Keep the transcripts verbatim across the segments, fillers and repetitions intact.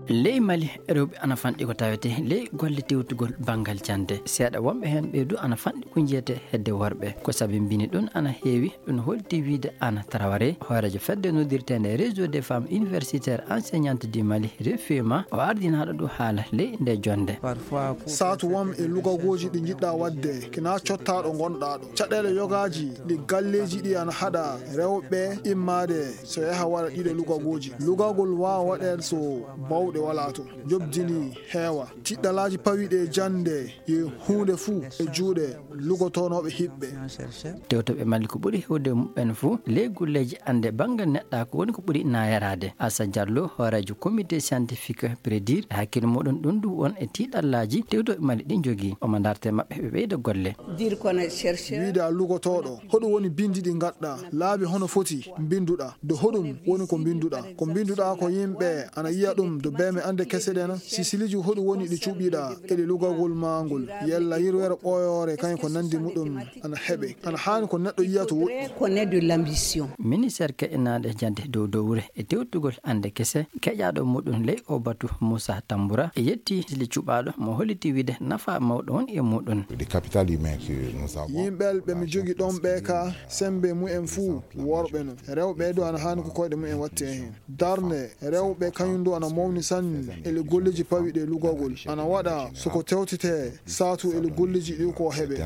Ley Mali, rewɓe ana fanɗi ko tawetee ley golle tewtugol banngal jannde. Seeɗa wonɓe heen ɓee du ana fanɗi ko njiyetee hedde worɓe. Ko sabi mbini ɗum ana heewi, ɗum holti wiyde Anna Traoré, hooreejo fedde noddirteende Réseau des Femmes Universitaires Enseignantes du Mali, refema, o ardinaaɗo ɗo haala ley nde jonnde. Saatu wam e lugagooji ɗi njiɗɗaa waɗde, kina cottaaɗo ngonɗaa ɗo. Caɗeele yogaaji ɗi galleeji ɗi ana haɗa rewɓe immaade so yaha waɗa ɗiɗo lugagooji. Lugagol waawa waɗeede so bawɗe walaa to. Njoɓdi ndi heewa. Tiɗɗalaaji pawiiɗi e jannde yo huunde fuu e juuɗe lugotoonooɓe hiɓɓe. Tewtooɓe Mali ko ɓuri heewde muɓɓen fuu ley golleeji annde banngal neɗɗaaku woni ko ɓuri naayaraade. Assa Diallo, hooreejo comité scientifique Prédir, e hakkille muɗum ɗum du won e tiiɗallaaji tewtooɓe Mali ɗi njogii. Omo darta e maɓɓe ɓe ɓeyda golle. Dire qu'on est chercheur. Wiide a lugotooɗo, hoɗum woni binndi ɗi ngaɗɗaa? Laabi hono foti mbinnduɗaa? Do hoɗum woni ko mbinnduɗaa? Ko mbinnduɗaa ko yimɓe ana yiya ɗum do beeme annde kese ɗena? Si siliiji hoɗum woni ɗi cuɓiɗaa e ɗi lugagol maa ngol? Yalla yirwere ɓooyoore kañum ko nanndi muɗum ana heɓe? Ana haani ko neɗɗo yiya to woɗɗi. Qu'on ait de l'ambition. Ministeer keƴanaaɗo jannde dow dowre e tewtugol annde kese, keƴaaɗo muɗum ley o batu Moussa Tamboura e yetti sili cuɓaaɗo mo holliti wiide nafa mawɗo won e muɗum. Le capital humain que nous avons. Yimɓe ɓe mi jogi ɗon ɓe ka sembe mumen fuu worɓe no. Rewɓe du ana haani ko koyɗe mumen watte heen. Darnde rewɓe kañum du ana mawni sanne e le golleeji pawiɗe lugagol. Ana waɗa so ko tewtete saatu e le golleeji ɗi ko heɓe.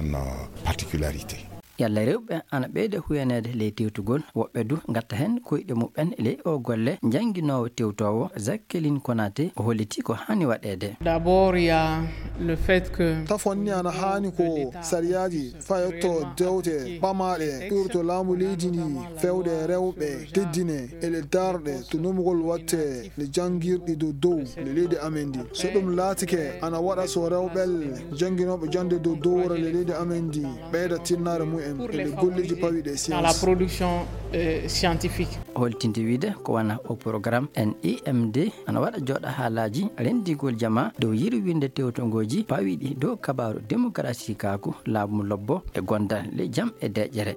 Particularité. Yalla rewɓe ana ɓeyda huyaneede ley tewtugol, woɓɓe du ngatta heen koyɗe muɓɓen ley o golle. Njannginoowo tewtoowo Jacqueline Konaté o holliti ko haani waɗeede. D'abord, il y a le fait que. Tafon ni ana haani ko sariyaaji fayotto dewte ɓamaaɗe ɓurto laamu leydi ndi fewde rewɓe teddine e le darɗe to numugol watte le janngirɗi dow dow le leydi amen ndi. So ɗum laatike ana waɗa so rewɓel jannginooɓe jannde dow dowra le leydi amen ndi ɓeyda tinnaare mumen e le golleeji pawiɗe dans la science. Production euh, scientifique. Holtinde wiide ko wona o programme N I M D ana waɗa jooɗa haalaaji renndigol jamaa dow yirwinde tewtongooji pawiɗi dow kabaaru démocratie kaaku laamu lobbo e gondal le jam e deƴƴere.